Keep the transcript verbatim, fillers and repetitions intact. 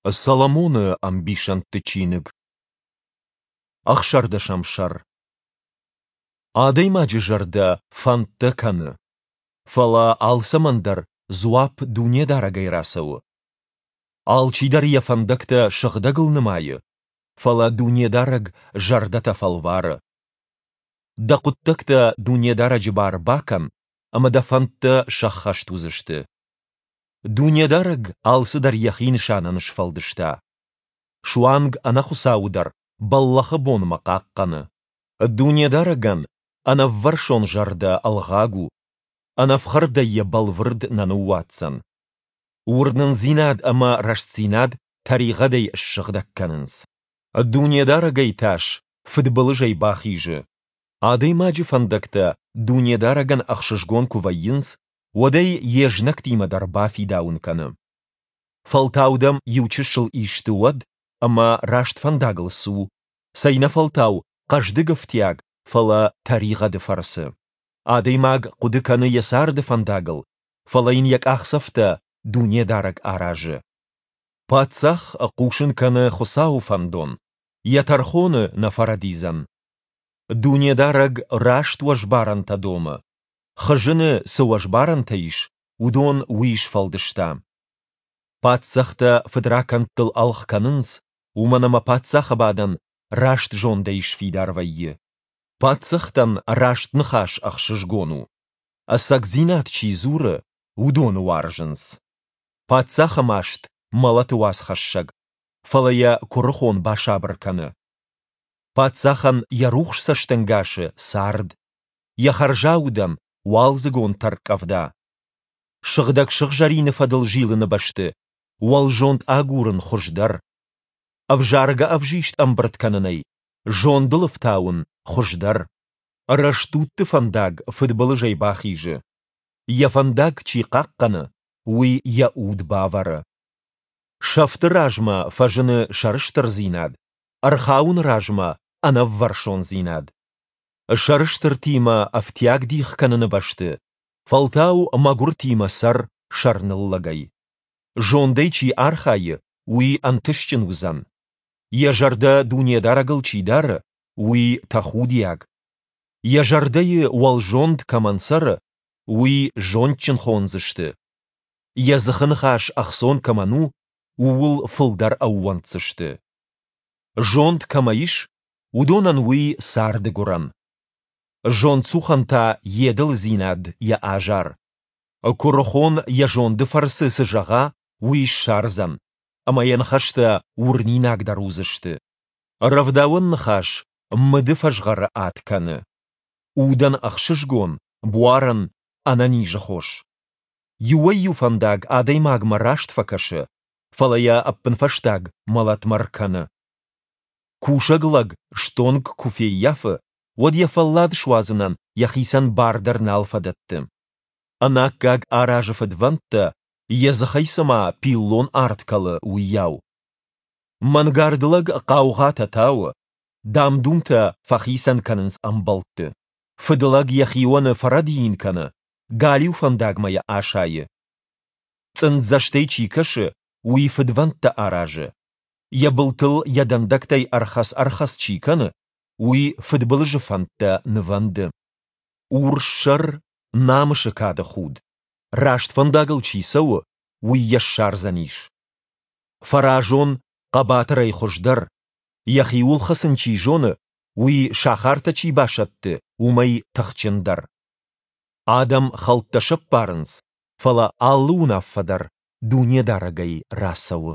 Соломоны ӕмбисӕндты чиныг. Ӕхсӕрдӕсӕм сӕр. Адӕймаджы зӕрдӕ фӕндтӕ кӕны, фӕлӕ алцӕмӕн дӕр дзуапп Дунедарӕгӕй рацӕуы. Алчидӕр йӕ фӕндӕгтӕ сыгъдӕгыл нымайы, фӕлӕ Дунедарӕг зӕрдӕтӕ фӕлвары. Дӕ хъуыддӕгтӕ Дунедарӕджы бар бакӕн, ӕмӕ дӕ фӕндтӕ сӕххӕст уыдзысты. Дунедарӕг алцыдӕр Йӕхи нысанӕн сфӕлдыста. Суанг ӕнӕхуыцауы дӕр бӕллӕхы бонмӕ хъахъхъӕны. Дунедарӕгӕн ӕнӕввӕрсон зӕрдӕ ӕлгъаг у, ӕнӕфхӕрдӕй йӕ бӕлвырд нӕ ныууадздзӕн. Уырнындзинад ӕмӕ рӕстдзинад тӕригъӕдӕй ссыгъдӕг кӕнынц. Дунедарӕгӕй тас фыдбылызӕй бахизы. Адӕймаджы фӕндӕгтӕ Дунедарӕгӕн ӕхсызгон куы вӕййынц, уӕд ӕй йе знӕгтимӕ дӕр бафидауын кӕны. Фӕлтау дӕм иу чысыл исты уӕд ӕмӕ раст фӕндагыл цу, цӕйнӕфӕлтау хъӕздыг ӕфтиаг, фӕлӕ тӕригъӕды фӕрцы. Адӕймаг хъуыды кӕны йӕ царды фӕндагыл, фӕлӕ йын йӕ къахдзӕфтӕ Дунедарӕг аразы. Паддзах хъусын кӕны Хуыцауы фӕндон, йӕ тӕрхоны нӕ фӕрӕдидзӕн. Дунедарӕг раст уӕзбарӕнтӕ домы, хызыны цы уӕзбарӕнтӕ ис, уыдон уый сфӕлдыста. Паддзӕхтӕ фыдракӕндтыл ӕлгъ кӕнынц, уымӕн ӕмӕ паддзахы бадӕн раст зондӕй сфидар вӕййы. Паддзӕхтӕн раст ныхас ӕхсызгон у. Ӕцӕгдзинад чи дзуры, уыдоны уарзынц. Паддзахы маст мӕлӕты уацхӕссӕг, фӕлӕ йӕ куырыхон басабыр кӕны. Паддзахӕн йӕ рухс цӕстӕнгасы цард, йӕ хӕрзаудӕн уалдзыгон тӕрккъӕвда. Сыгъдӕг сыгъзӕрины фӕдыл зилыны бӕсты уӕлзонд агурын хуыздӕр. Ӕвзаргӕ ӕвзист ӕмбырд кӕнынӕй зондыл ӕфтауын хуыздӕр. Рӕстудты фӕндаг фыдбылызӕй бахизы. Йӕ фӕндаг чи хъахъхъӕны, уый йӕ уд бавӕры. Сӕфты размӕ фӕзыны сӕрыстырдзинад, ӕрхауыны размӕ ӕнӕввӕрсондзинад. Сӕрыстыртимӕ ӕфтиаг дих кӕныны бӕсты, фӕлтау мӕгуыртимӕ цӕр сӕрныллӕгӕй. Зондӕй чи архайы, уый ӕнтыстджын уыдзӕн. Йӕ зӕрдӕ Дунедарӕгыл чи дары, уый тӕхудиаг. Йӕ зӕрдӕйы уӕлзонд кӕмӕн цӕры, уый зондджын хондзысты. Йӕ дзыхы ныхас ӕхцон кӕмӕн у, ууыл фылдӕр ӕууӕнддзысты. Зонд кӕмӕ ис, уыдонӕн уый царды гуырӕн. Зондцухӕн та йе дылыдзинад йӕ азар. Куырыхон йӕ зонды фӕрцы цы зӕгъа, уый ссардзӕн, ӕмӕ йӕ ныхӕстӕ уырнинагдӕр уыдзысты. Рӕвдауӕн ныхас мыды фӕзгъӕры ад кӕны. Удӕн ӕхсызгон, буарӕн ӕнӕнизы хос. Иуӕй-иу фӕндаг адӕймагмӕ раст фӕкӕсы, фӕлӕ йӕ ӕппынфӕстаг мӕлӕтмӕ ркӕны. Кусӕг лӕг стонг куы феййафы, уӕд йӕ фӕллад суадзынӕн йӕхицӕн бар дӕр нал фӕдӕтты. Ӕнаккаг аразы фыдвӕндтӕ, йӕ дзыхӕй цыма пиллон арт кӕлы, уыйау. Мӕнгард лӕг хъаугъатӕ тауы, дам-думтӕ фӕхицӕн кӕнынц ӕмбӕлтты. Фыдлӕг йӕ хионы фӕрӕдийын кӕны, галиу фӕндагмӕ йӕ асайы. Цъынддзӕстӕй чи кӕсы, уый фыдвӕндтӕ аразы. Йӕ былтыл йӕ дӕндӕгтӕй ӕрхӕц-ӕрхӕц чи кӕны, уый фыдбылызы фӕндтӕ нывӕнды. Урс сӕр намысы кады худ, раст фӕндагыл чи цӕуы, уый йӕ ссардзӕнис. Фӕразон хъӕбатырӕй хуыздӕр, йӕхиуыл хӕцын чи зоны, уый сахартӕ чи басӕтты, уымӕй тыхджындӕр. Адӕм хӕлттӕ сӕппарынц, фӕлӕ алы уынаффӕ дӕр Дунедарӕгӕй рацӕуы.